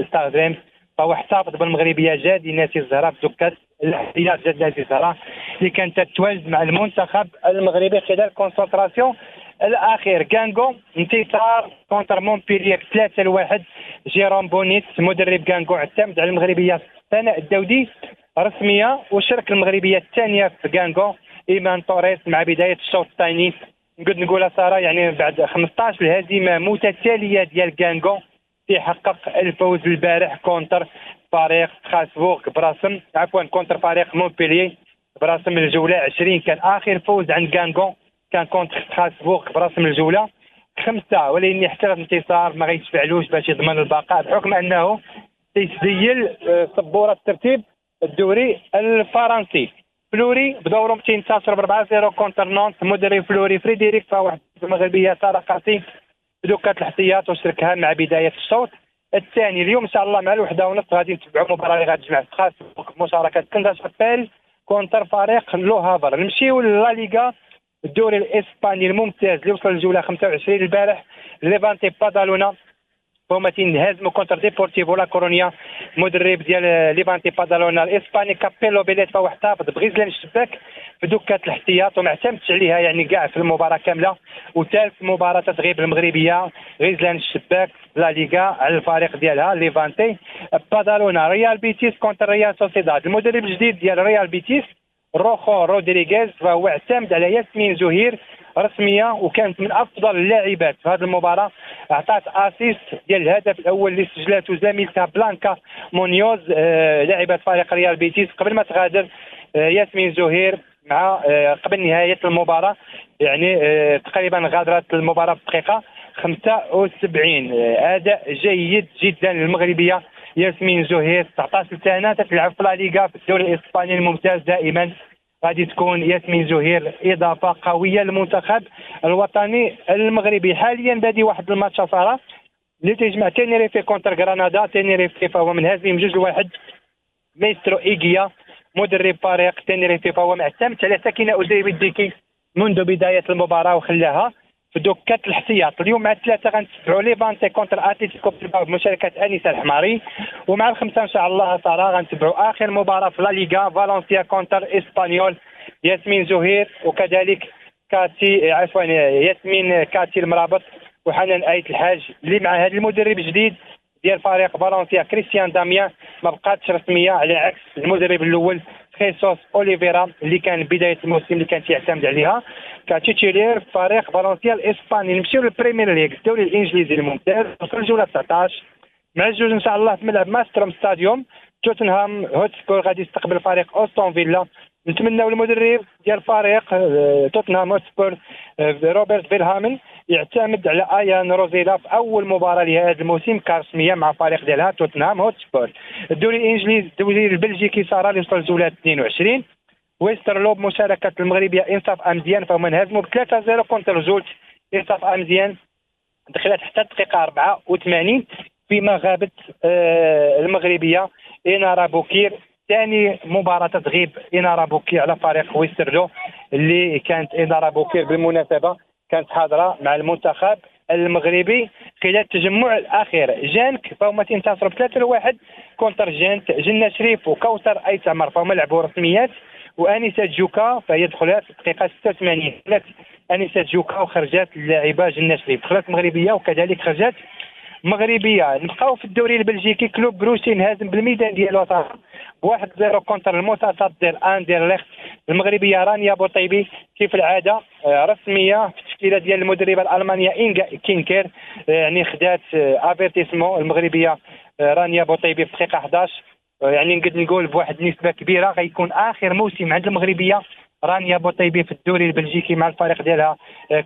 ستاد ريمس فهو احتفظ بالمغربيه جادي ناسي الزهراء بدكه الاحتياط جاد ناسي الزهراء اللي كانت تتواجد مع المنتخب المغربي خلال concentration الاخير. كانغو انتصار contre مونبيلير ثلاثة لواحد. جيروم بونيت مدرب كانغو اعتمد على المغربية سناء الدودي رسمية وشارك المغربية الثانية في كانغو ايمان توريس مع بداية الشوط الثاني. نقدر نقولها ساره يعني بعد خمسطاش الهزيمة متتالية ديال كانغو تيحقق الفوز البارح contre فريق ستراسبورغ براسم عفوا contre فريق مونبليي براسم الجولة عشرين. كان اخر فوز عند كانغو كان contre ستراسبورغ براسم الجولة خمسة، ولكن حتى الانتصار ما غيتفعلوش باش يضمن البقاء بحكم انه تيسجل سبورة الترتيب الدوري الفرنسي. فلوري بدورهم تينتصر ب أربعة صفر contre نانت. مدرب فلوري فريدريك فواحد المغربية ساره قاسي بدكه الاحتياط وشركها مع بداية الشوط الثاني. اليوم ان شاء الله مع الوحدة ونص غادي نتبعوا مباراة اللي غتجمع ستراسبورغ بمشاركة كنزا شابيل contre فريق لوهافر. نمشيو لا ليغا الدوري الاسباني الممتاز اللي وصل للجوله خمسة وعشرين البارح. ليفانتي بادالونا هما تينهزموا contre ديبورتيفو لا كورونيا. مدرب ديال ليفانتي بادالونا الاسباني كابيلو بيليت فهو احتفظ بغزلان الشباك في دكه الاحتياط وما اعتمدش عليها يعني كاع في المباراة كاملة. وثالث مباراة تغيب المغربية غزلان الشباك لا ليغا على الفريق ديالها ليفانتي بادالونا. ريال بيتيس contre ريال سوسيداد. المدرب الجديد ديال ريال بيتيس روخو رودريغيز فهو اعتمد على ياسمين زهير رسمية وكانت من افضل اللاعبات في هذه المباراة. اعطات assist ديال الهدف الاول اللي سجلته زميلتها بلانكا مونيوز آه لاعبه فريق ريال بيتيس قبل ما تغادر آه ياسمين زهير مع آه قبل نهاية المباراة يعني آه تقريبا غادرت المباراة في دقيقة خمسة وسبعين. آه اداء جيد جدا للمغربيه ياسمين زهير تسعطاش سنة تلعب في لا ليغا في الدوري الاسباني الممتاز. دائما غادي تكون ياسمين زهير اضافه قوية للمنتخب الوطني المغربي. حاليا بادي واحد الماتش صراحة اللي تيجمع تينيريفي contre غرناطة. تينيريفي فهو منهزم بجوج لواحد. ميسترو ايغيا مدرب فريق تينيريفي فهو معتمد على سكينة أزيبي الديكي منذ بداية المباراة وخلاها في دكه الاحتياط. اليوم مع الثلاثة غنتبعوا ليفانتي contre اتلتيكو بلباو بمشاركة انيسة الحماري، ومع الخمسة ان شاء الله ترى غنتبعوا اخر مباراة في لا ليغا فالنسيا contre اسبانيول. ياسمين زهير وكذلك كاتي عفوا ياسمين كاتي المرابط وحنان آيت الحاج اللي مع هذا المدرب الجديد ديال فريق فالنسيا كريستيان داميان ما بقاتش رسمية على عكس المدرب الاول خيسوس اوليفيرا اللي كان بداية الموسم اللي كان تيعتمد عليها ك titulaire فريق فالنسيا الاسباني. نمشيو للبريمير ليغ الدوري الانجليزي الممتاز وصل الجولة تسعطاش مع الجوج ان شاء الله في ملعب ماستروم ستاديوم. توتنهام هوتسبور غادي يستقبل فريق أستون فيلا. نتمناو المدرب ديال فريق توتنهام هوتسبور روبرت فيلهامن يعتمد على ايان روزيلا في اول مباراة لهذا الموسم كرسميه مع فريق ديالها توتنهام هوتسبور. الدوري الانجليزي، الدوري البلجيكي ساره اللي وصل الجولة اثنين وعشرين، ويسترلو بمشاركة المغربية انصاف امزيان فهما انهزموا ب ثلاثة صفر contre زولت. انصاف امزيان دخلت حتى الدقيقة أربعة وثمانين فيما غابت المغربية إنارا بوكير. ثاني مباراة تغيب إنارا بوكير على فريق ويسترلو اللي كانت إنارا بوكير بالمناسبة كانت حاضرة مع المنتخب المغربي خلال التجمع الأخير. جانك فهما تنتصروا بثلاثة لواحد contre جانت. جنة شريف وكوثر أيت عمر فهما لعبوا رسميات، وأنيسة جوكا فهي دخلت في الدقيقة ستة وثمانين. دخلت أنيسة جوكا وخرجت اللاعبة جنة شريف، دخلت مغربية وكذلك خرجت مغربية. نبقاو في الدوري البلجيكي، كلوب بروسي انهزم بالميدان ديالو بواحد صفر contre المساطات ديال اندرليخت. المغربية رانيا بوطيبي كيف العادة رسمية في التشكيلة ديال المدربه الالمانية انجا كينكر، يعني خدات افيرتيسمون المغربية رانيا بوطيبي في دقيقة أحد عشر، يعني نقدر نقول بواحد النسبة كبيرة غيكون اخر موسم عند المغربية رانيا بوطيبي في الدوري البلجيكي مع الفريق ديالها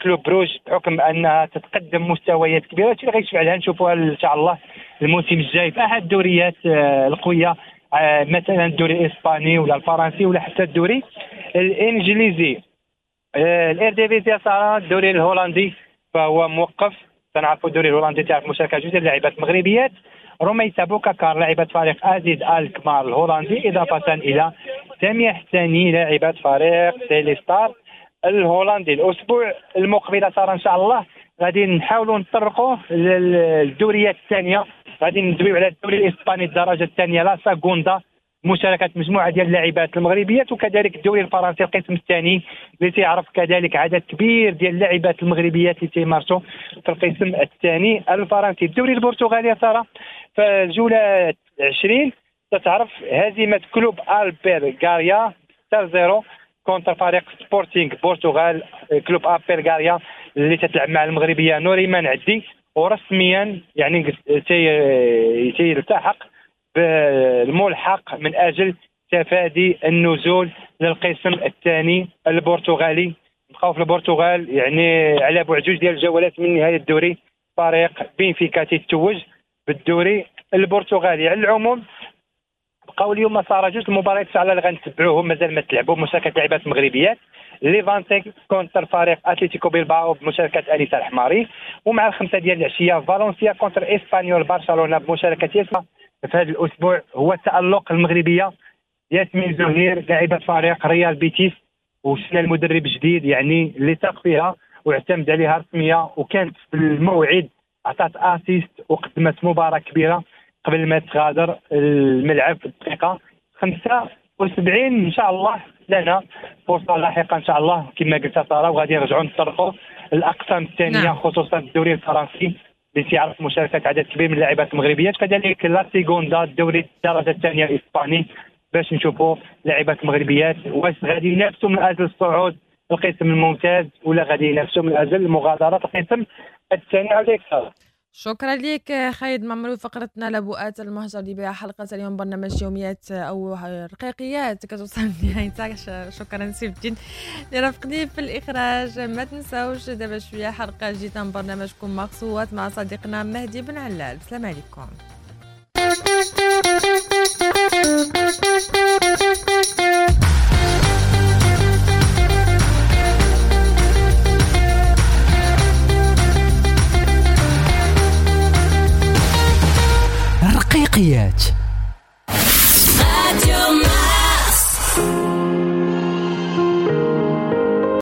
كلوب بروج، بحكم انها تتقدم مستويات كبيرة. هادشي اللي غيشفع لها نشوفوها ان شاء الله الموسم الجاي في احد الدوريات القوية، مثلا الدوري الاسباني ولا الفرنسي ولا حتى الدوري الانجليزي. الإيرديفيزي صار الدوري الهولندي فهو موقف، تنعرفوا الدوري الهولندي تعرف مشاركة جوج ديال اللاعبات المغربيات، رميسة بوكاكار لاعبة فريق أزيد الكمار الهولندي، إضافة إلى سامية حساني لاعبة فريق تيليستار الهولندي. الأسبوع المقبل صار إن شاء الله غادي نحاولوا نطرقوا للدوريات الثانية، غادي ندويو على الدوري الإسباني الدرجة الثانية لا ساغوندا مشاركة مجموعة ديال اللاعبات المغربيات، وكذلك الدوري الفرنسي القسم الثاني اللي تيعرف كذلك عدد كبير ديال اللاعبات المغربيات اللي تيمارسوا في القسم الثاني الفرنسي. الدوري البرتغالي ساره في الجولة عشرين تتعرف هزيمة كلوب البير غاريا ستة صفر contre فريق سبورتينغ برتغال. كلوب البير غاريا اللي تتلعب مع المغربية نوريمان عدي، ورسميا يعني تيلتحق بالملحق من اجل تفادي النزول للقسم الثاني البرتغالي. بقاو في البرتغال يعني على بعد جوج ديال الجولات من نهاية الدوري، فريق بنفيكا تيتوج بالدوري البرتغالي. على العموم بقاو اليوم صار جوج المباريات على اللي غنتبعوهم مازال ما تلعبوا، مشاركة لاعبات مغربيات، ليفانتي contre فريق اتلتيكو بيلباو بمشاركة انيسة الحماري، ومع الخمسة ديال العشية فالنسيا contre اسبانيول برشلونة بمشاركة ياسمين. في هذا الاسبوع هو التالق المغربية ياسمين زهير لاعبه فريق ريال بيتيس، وشنا المدرب الجديد يعني اللي ثق فيها واعتمد عليها رسمية، وكانت في الموعد عطات assist وقدمت مباراة كبيرة قبل ما تغادر الملعب في الدقيقة خمسة وسبعين. ان شاء الله لنا فرصة لاحقة ان شاء الله كما قلت ساره، وغادي نرجعوا نطرقوا الاقسام الثانية نعم. خصوصا الدوري الفرنسي اللي تيعرف مشاركة عدد كبير من اللاعبات المغربيات، كذلك لا سيغوندا الدوري الدرجة الثانية الاسباني باش نشوفوا لاعبات المغربيات واش غادي ينافسوا من اجل الصعود القسم الممتاز ولا غادي ينافسوا من اجل مغادرة القسم الثاني. عليك ساره. شكرا لك خالد معمري. فقرتنا لبؤات المهجر اللي بها حلقة اليوم برنامج يوميات أو رقيقيات كتوصل لنهايتها. شكرا سيف الدين اللي رافقني في الإخراج. ما تنساوش دابا شوية حلقة جديدة من برنامجكم مقصوات مع صديقنا مهدي بن علال. السلام عليكم.